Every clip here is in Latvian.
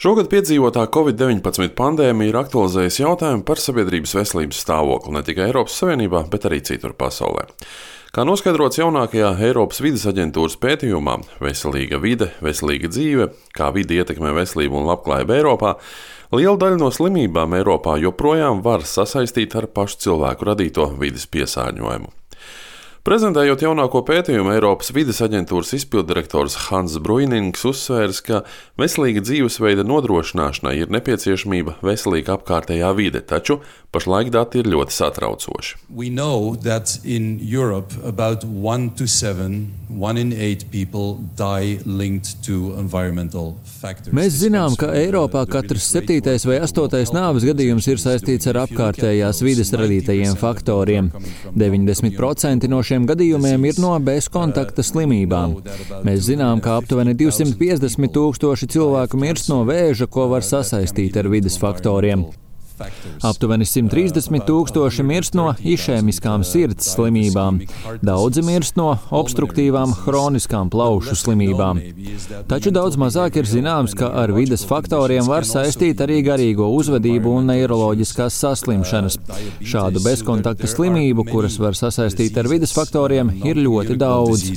Šogad piedzīvotā Covid-19 pandēmija ir aktualizējusi jautājumu par sabiedrības veselības stāvokli ne tikai Eiropas Savienībā, bet arī citur pasaulē. Kā noskaidrots jaunākajā Eiropas vides aģentūras pētījumā Veselīga vide, veselīga dzīve, kā vide ietekmē veselību un labklājību Eiropā, liela daļa no slimībām Eiropā joprojām var sasaistīt ar pašu cilvēku radīto vides piesārņojumu. Prezentējot jaunāko pētījumu, Eiropas vides aģentūras izpilddirektors Hans Bruinings uzsvērs, ka veselīga dzīvesveida nodrošināšanai ir nepieciešamība veselīga apkārtējā vide, taču pašlaik dati ir ļoti satraucoši. We know that in Europe about 1 to 7, 1 in 8 people die linked to environmental factors. Mēs zinām, ka Eiropā katrs 7. vai 8. nāves gadījums ir saistīts ar apkārtējās vides radītajiem faktoriem. 90% no šiem gadījumiem ir no bezkontakta slimībām. Mēs zinām, ka aptuveni 250,000 cilvēku mirst no vēža, ko var sasaistīt ar vides faktoriem. Aptuveni 130,000 mirst no išēmiskām sirds slimībām. Daudzi mirst no obstruktīvām hroniskām plaušu slimībām. Taču daudz mazāk ir zināms, ka ar vides faktoriem var saistīt arī garīgo uzvedību un neiroloģiskās saslimšanas. Šādu bezkontakta slimību, kuras var sasaistīt ar vides faktoriem, ir ļoti daudz.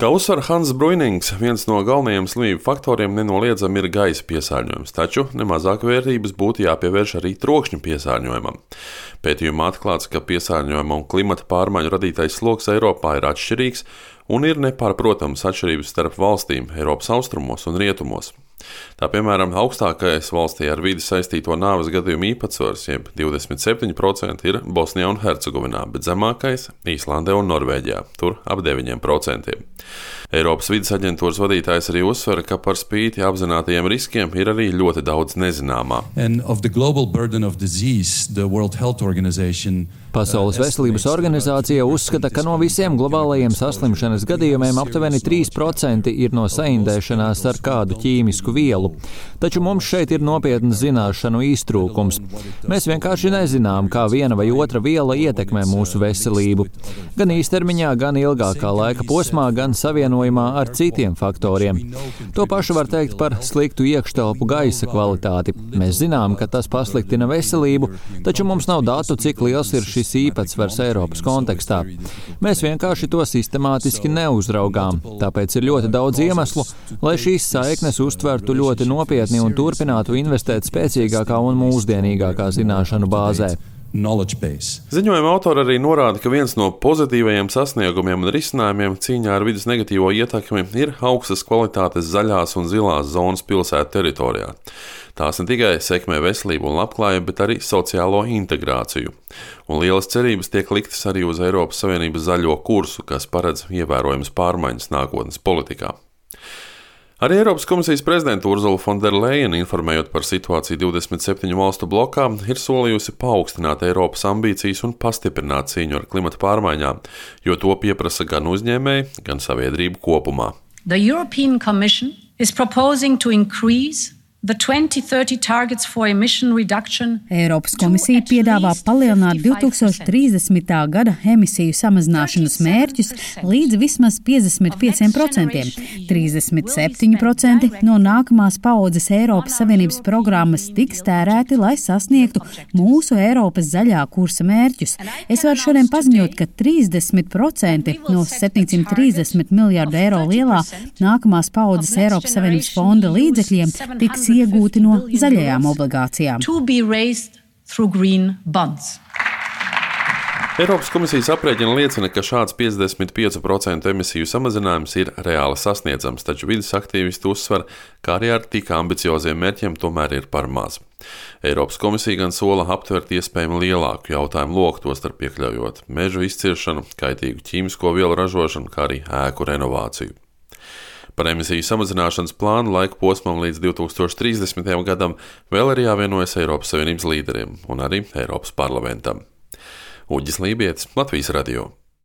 Kā uzsver Hans Bruinings, viens no galvenajiem slimību faktoriem nenoliedzami ir gaisa piesārņojums, taču nemazāk vērtības būtu jāpievērš arī trokšņa piesārņojumam. Pētījumā atklāts, ka piesārņojuma un klimata pārmaiņu radītais sloks Eiropā ir atšķirīgs un ir nepārprotams atšķirības starp valstīm Eiropas austrumos un rietumos. Tā piemēram, augstākais valstī ar vidi saistīto nāves gadījumu īpatsvars, jeb 27%, ir Bosnijā un Hercegovinā, bet zemākais Īslandē un Norvēģijā, tur ap 9%. Eiropas vides aģentūras vadītājs arī uzsver, ka par spīti apzinātajiem riskiem ir arī ļoti daudz nezināmā. Pasaules veselības organizācija uzskata, ka no visiem globālajiem saslimšanas gadījumiem aptuveni 3% ir no saindēšanās ar kādu ķīmisku vielu. Taču mums šeit ir nopietnas zināšanu iztrūkums. Mēs vienkārši nezinām, kā viena vai otra viela ietekmē mūsu veselību. Gan īstermiņā, gan ilgākā laika posmā, gan savienojumā ar citiem faktoriem. To pašu var teikt par sliktu iekštelpu gaisa kvalitāti. Mēs zinām, ka tas pasliktina veselību, taču mums nav datu, cik liels ir šis īpatsvars Eiropas kontekstā. Mēs vienkārši to sistemātiski neuzraugām, tāpēc ir ļoti daudz iemeslu, lai šīs saiknes uztvertu ļoti nopietni un turpinātu investēt spēcīgākā un mūsdienīgākā zināšanu bāzē. Ziņojuma autori arī norāda, ka viens no pozitīvajiem sasniegumiem un risinājumiem cīņā ar vides negatīvo ietekmi ir augstas kvalitātes zaļās un zilās zonas pilsētu teritorijā. Tās ne tikai sekmē veselību un labklājību, bet arī sociālo integrāciju. Un lielas cerības tiek liktas arī uz Eiropas Savienības zaļo kursu, kas paredz ievērojamas pārmaiņas nākotnes politikā. Arī Eiropas komisijas prezidenta Ursula von der Leyen, informējot par situāciju 27 valstu blokā, ir solījusi paaugstināt Eiropas ambīcijas un pastiprināt cīņu ar klimata pārmaiņām, jo to pieprasa gan uzņēmēji, gan sabiedrība kopumā. The European Commission is proposing to increase the 2030 targets for emission reduction. Eiropas komisija piedāvā palielināt 2030. gada emisiju samazināšanas mērķus līdz vismaz 55%. 37% no nākamās paaudzes Eiropas Savienības programmas tiks tērēti, lai sasniegtu mūsu Eiropas zaļā kursa mērķus. Es varu šodien paziņot, ka 30% no 730 miljārdu eiro lielā nākamās paaudzes Eiropas Savienības fonda līdzekļiem tiks iegūti no zaļajām obligācijām. Eiropas komisijas aprēķina liecina, ka šāds 55% emisiju samazinājums ir reāli sasniedzams, taču vides aktīvisti uzsver, ka arī ar tik ambicioziem mērķiem tomēr ir par maz. Eiropas komisija gan sola aptvert iespējami lielāku jautājumu loku, tostarp iekļaujot mežu izciršanu, kaitīgu ķīmisko vielu ražošanu, kā arī ēku renovāciju. Par emisiju samazināšanas plānu laika posmam līdz 2030. gadam vēl ir jāvienojas Eiropas Savienības līderiem un arī Eiropas parlamentam. Uģis Lībietis, Latvijas radio.